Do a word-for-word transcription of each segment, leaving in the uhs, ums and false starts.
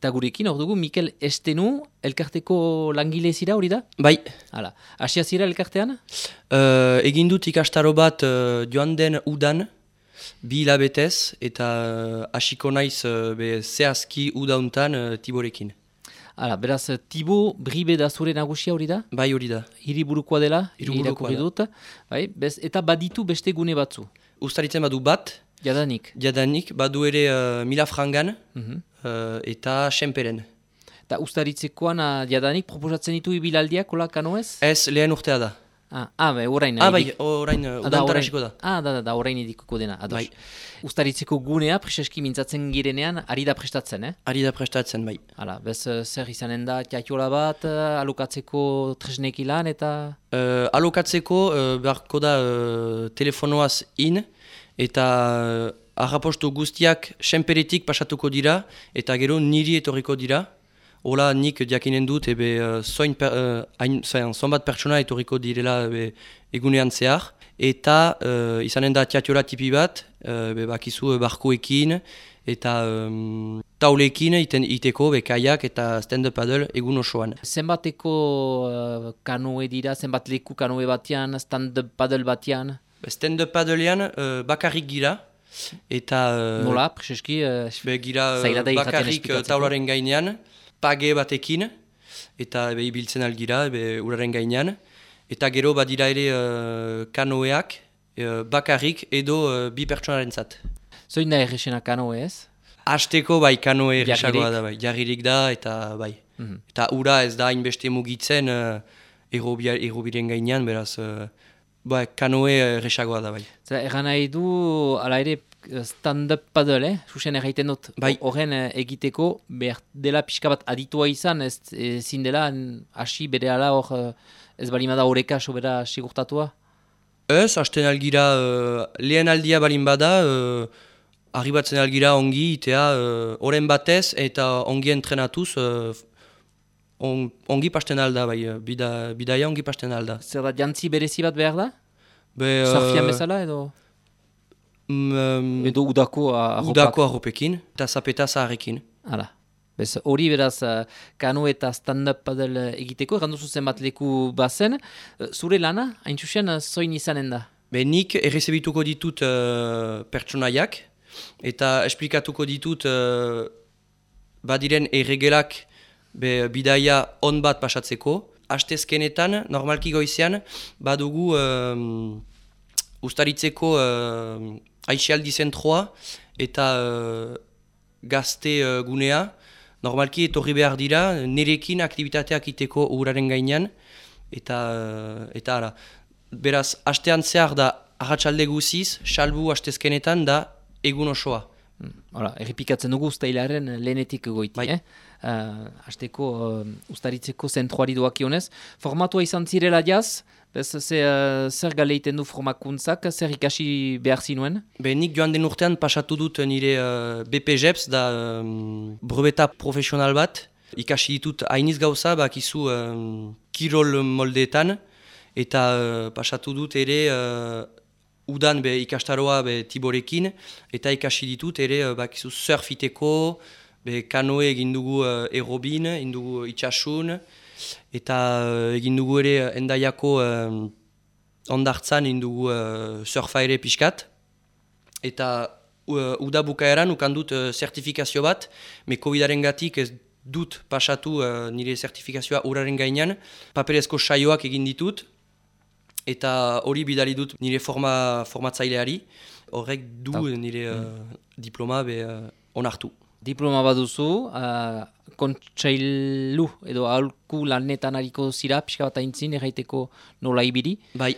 Eta gurekin, hor dugu, Mikel Estenu, elkarteko langile zira hori da? Bai. Hala, hasia zira elkartean? Uh, egin dut ikastaro bat uh, joan den udan, bi hilabetez, eta hasiko naiz uh, be zehazki udauntan uh, Tiborekin. Hala, beraz, Tibo Bribe da zure nagusia hori da? Bai hori da. Hiriburukoa dela, Hiriburukoa irakurri da. dut. Bai, bez, eta baditu beste gune batzu. Uztaritzen badu bat, Jadanik. jadanik, badu ere uh, Milafrangan Mhm. uh, eta Senperen. Eta ustaritzekoan uh, jadanik proposatzen ditu ibilaldiak, kola kanoez? Ez lehen urtea da. Ah, ah bai, orain. Ah bai, edik- orain uh, Ah, da, udantan orain. hasiko da. Ah, da, da, da, orain edikuko dena, ados. Bai. Ustaritzeko gunea, preseski mintzatzen girenean, ari da prestatzen, eh? Ari da prestatzen, bai. Hala, bez, eh, zer izanen da, tiatiola bat, eh, alokatzeko tresneki lan, eta... Uh, alokatzeko uh, beharko da uh, telefonoaz in, eta uh, arrapostu guztiak senperetik pasatuko dira, eta gero niri etorriko dira. Hola nik diakinen dut, ebe uh, zoin per, uh, hain, zoin, zonbat pertsona etorriko direla ebe, egunean zehar. Eta uh, izanen da tiatiola tipi bat, uh, be, bakizu uh, barkoekin, eta um, taulekin iten, iteko, be, kaiak eta stand-up paddle egun osoan. Zenbateko uh, kanoe dira, zenbat leku kanoe batean, stand-up paddle batean? Stand-up paddlean uh, bakarrik gira, eta uh, Nola, preseski, uh, be, gira uh, zaila da izaten bakarrik uh, esplikatzeko. taularen gainean, page batekin, eta be, ibiltzen algira, be, uraren gainean. Eta gero badira ere uh, kanoeak uh, bakarrik edo uh, bi pertsonaren zat. Zoin da errexena kanoe ez? Hasteko bai kanoe Jarririk. erresagoa da bai, jarririk da eta bai. Mhm. Eta ura ez da hainbeste mugitzen uh, errobia- errobiren gainean, beraz uh, bai, kanoe erresagoa da bai. Zer, erran nahi du, ala ere, stand-up paddle, eh? Susen erraiten dut, Bai. horren eh, egiteko, behar dela pixka bat aditua izan, ez ezin dela, n- hasi bere ala hor, eh, ez balimada horeka sobera sigurtatua? Ez, hasten algira uh, lehen aldia balin bada, uh, arribatzen algira ongi, itea uh, oren batez eta ongi entrenatuz, uh, on, ongi pasten alda bai, uh, bida, bidaia ongi pasten alda. Zer da, jantzi berezi bat behar da? Be, uh, Sarfian bezala edo? mm, Edo udako a- arropak? udako arropekin eta zapeta zaharrekin. Hala. Bez, hori beraz, uh, kano eta stand-up paddle egiteko, erranduzu zenbat leku bazen, uh, zure lana, hain txusen, uh, zoin izanen da? Be, nik errezebituko ditut uh, pertsonaiak eta esplikatuko ditut uh, badiren erregelak be, bidaia on bat pasatzeko. Astezkenetan, normalki goizean, badugu um, ustaritzeko uh, aixialdi zentroa eta uh, gazte uh, gunea. Normalki etorri behar dira, nirekin aktivitateak iteko uraren gainean, eta, uh, eta ara. Beraz, astean zehar da arratsalde guziz, salbu astezkenetan da egun osoa. Hala, errepikatzen dugu ustailaren lehenetik goiti, Bai. eh? Uh, Azteko uh, ustaritzeko zentroari doakionez. Formatua izan zirela jaz, bez, ze, uh, zer galeiten du formakuntzak, zer ikasi behar zinuen? Be, nik joan den urtean pasatu dut nire uh, B P J E P S, da um, breveta profesional bat. Ikasi ditut hainiz gauza, bakizu um, kirol moldeetan, eta uh, pasatu dut ere uh, udan be, ikastaroa be, Tiborekin, eta ikasi ditut ere uh, bakizu surfiteko, be, kanoe egin dugu uh, errobin, egin dugu itxasun, eta uh, egin dugu ere uh, endaiako uh, ondartzan egin dugu uh, surfa ere pixkat. Eta uh, uda bukaeran ukan dut uh, zertifikazio bat, me covidaren gatik ez dut pasatu uh, nire zertifikazioa uraren gainean, paperezko saioak egin ditut, eta hori bidali dut nire forma, formatzaileari, horrek du Tau. nire uh, diploma be uh, onartu. Diploma baduzu, uh, kontseilu edo aholku lanetan hariko zira, pixka bat aintzin, erraiteko nola ibili. Bai,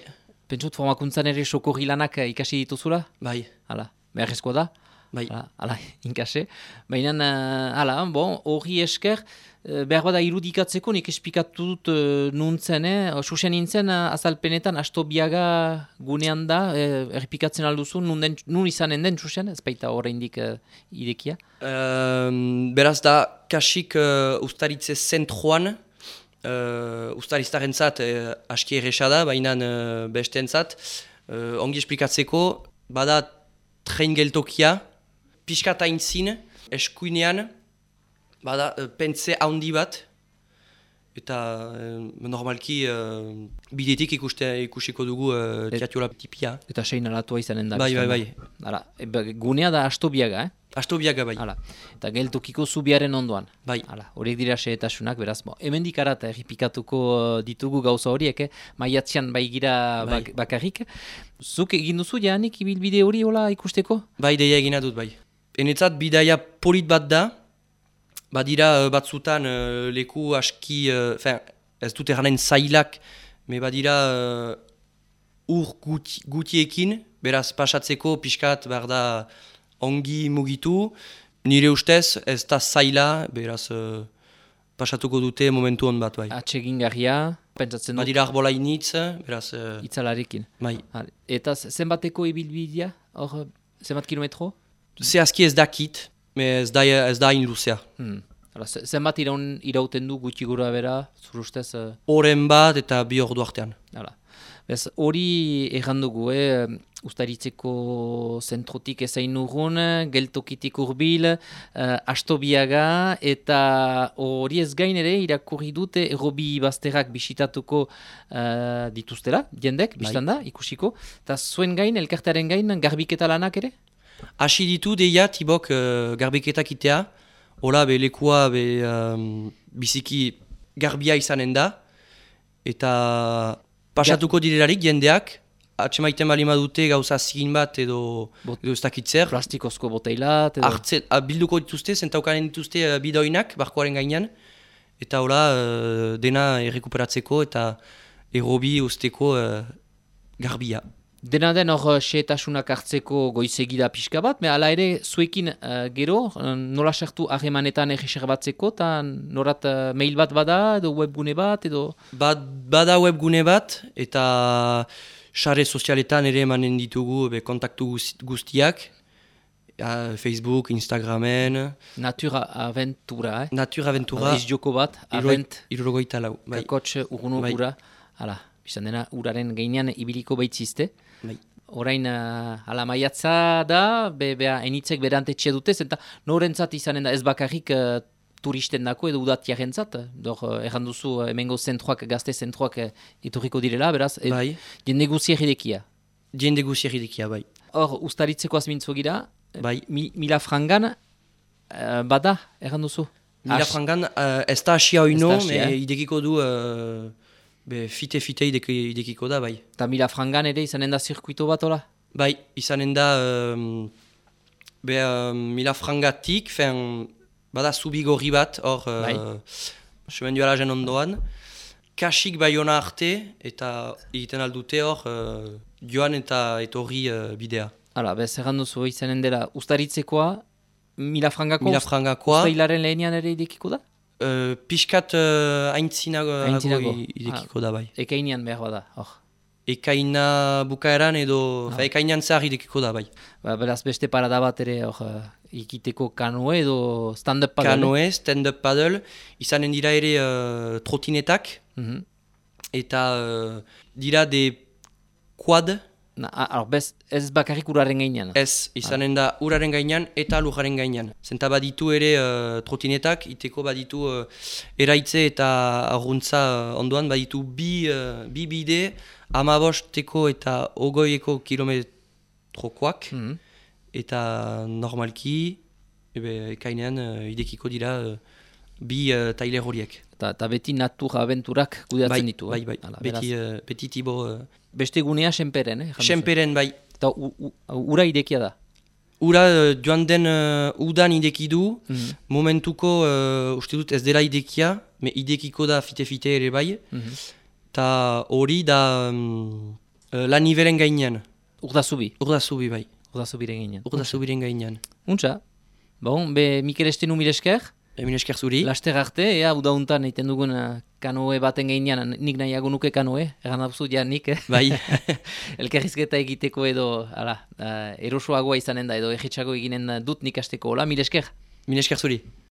Pentsut formakuntzan ere sokorri lanak eh, ikasi dituzula? bai, Hala, beharrezkoa da? bai. Hala, hala, inkase. Baina, uh, hala, bon, hori esker, uh, behar bada irudikatzeko, nik esplikatu dut uh, nuntzen, eh? Susen nintzen, uh, azalpenetan, Astobiaga gunean da, uh, errepikatzen alduzu, nun, den, nun izanen den, Susen, ez baita oraindik uh, idekia. Um, beraz da, kasik uh, ustaritze zentroan, uh, ustariztarentzat uh, aski erresa da, baina uh, bestentzat, uh, ongi esplikatzeko, bada train geltokia, pixkat aintzin, eskuinean, Bada, uh, pentze handi bat, eta uh, normalki uh, bidetik ikuste, ikusiko dugu uh, teatiola tipia. Eta sein alatua izanen da. Bai, bai, bai. Hala, e, gunea da Astobiaga, eh? Astobiaga bai. Hala, eta geltokiko zubiaren ondoan. Bai. Hala, horiek dira xehetasunak, beraz, bo, hemendik arata erripikatuko ditugu gauza horiek, eh? Maiatzean bai gira bai. bak, bakarrik. Zuk egin duzu, janik, ibilbide hori hola ikusteko? Bai, deia egina dut, bai. Enetzat, bidaia polit bat da, badira uh, batzutan uh, leku aski, uh, fin, ez dut erranen zailak, me badira uh, ur guti, gutiekin, beraz pasatzeko pixkat behar da ongi mugitu, nire ustez ez da zaila, beraz uh, pasatuko dute momentu hon bat bai. Atsegin garria, pentsatzen dut. Badira arbola initz, beraz... Uh, Itzalarekin. Bai. Hale. Eta zenbateko ibilbidea, hor, zenbat kilometro? Zehazki ez dakit, me ez da, ez da hain luzea. Hmm. Hala, zenbat iraun, irauten du gutxi gura bera, zur ustez? Uh... Oren bat eta bi ordu artean. Hala. Bez, hori errandugu, eh? Ustaritzeko zentrotik ezain urrun, geltokitik urbil, uh, Astobiaga, eta hori ez gain ere irakurri dute errobi bazterrak bisitatuko uh, dituztela, jendek, biztan da, ikusiko. Eta zuen gain, elkartearen gain, garbiketa lanak ere? Hasi ditu deia tibok uh, garbiketak itea, hola be lekua be um, biziki garbia izanen da, eta pasatuko direlarik jendeak, atxemaiten balima dute gauza zigin bat edo, edo ez dakitzer. Plastikozko boteilat edo... Artze, a, bilduko dituzte, zentaukanen dituzte uh, bidoinak, barkoaren gainean, eta hola uh, dena errekuperatzeko eta errobi usteko uh, garbia. Dena den hor xehetasunak hartzeko goizegida pixka bat, me ala ere zuekin uh, gero, uh, nola sartu harremanetan egiser batzeko, eta norat uh, mail bat bada edo webgune bat edo... Bad, bada webgune bat, eta sare sozialetan ere emanen ditugu be, kontaktu guztiak, uh, Facebook, Instagramen... Natura Aventura, eh? Natura Aventura... Ez joko bat, Avent... Irurogoita lau, bai. Kakotx urguno bai. Ura, hala, bizan dena uraren gainean ibiliko baitzizte. Bai. Orain uh, ala maiatza da, be, bea enitzek berantetxe dutez, eta norentzat izanen da ez bakarrik uh, turisten dako edo udatiarentzat. Dor, uh, erran duzu uh, emengo zentroak, gazte zentroak uh, iturriko direla, beraz, e, bai. jende guzier idekia. Jende guzier idekia, bai. Hor, ustaritzeko azmintzo gira, bai. mi, mila frangan uh, bada, erran duzu? Mila frangan uh, ez da asia oino, me eh? idekiko du... Uh, Be, fite-fite idekiko da, bai. Eta mila frangan ere izanen da zirkuito bat, hola? Bai, izanen da um, be, um, mila frangatik, fen, bada zubigorri bat, hor, bai. uh, semendualajen ondoan. Kasik baiona arte, eta egiten aldute hor, uh, joan eta etorri uh, bidea. Hala, bez, erran duzu izanen dela ustaritzekoa, mila frangako? Mila frangakoa. Usta hilaren lehenian ere idekiko da? Uh, Piskat uh, aintzinago idekiko ah, da, bai. Ekainean behar bada, hor. Ekaina bukaeran edo, ah. fa, ekainan zahar idekiko da, bai. Ba, beraz beste parada bat ere, hor, ikiteko kanoe edo stand-up paddle. Kanoe, stand-up paddle, izanen dira ere uh, trotinetak, mm-hmm. eta uh, dira de quad. Na, alor, bez, ez bakarrik uraren gainean. Ez, izanen da uraren gainean eta lujaren gainean. Zenta baditu ere uh, trotinetak, iteko baditu uh, eraitze eta arguntza uh, ondoan, baditu bi, uh, bi bide, amabosteko eta ogoieko kilometrokoak, mm-hmm. eta normalki, ebe, ekainean uh, idekiko dira uh, bi uh, tailer horiek. Eta beti natura aventurak kudeatzen bai, ditu. Bai, bai, Hala, beti, uh, beti tibo... Uh, Beste gunea senperen, eh? Senperen, bai. Eta ura idekia da? Ura uh, joan den uh, udan ideki du, mm-hmm. momentuko uh, uste dut ez dela idekia, me idekiko da fite-fite ere bai, eta mm-hmm. hori da um, uh, la nivelen gainean. Urdazubi? Urdazubi, bai. Urdazubiren gainean. Urdazubiren gainean. Untxa. Bon, be Mikel Estenu mil esker. Mil esker zuri. Laster arte, ea, udauntan egiten dugun uh, kanoe baten gainean, nik nahiago nuke kanoe, egan abzu ja nik, eh? Bai. Elkarrizketa egiteko edo, ala, uh, erosoagoa izanen da, edo egitxago eginen dut nik asteko, hola, mil esker. Mil esker zuri.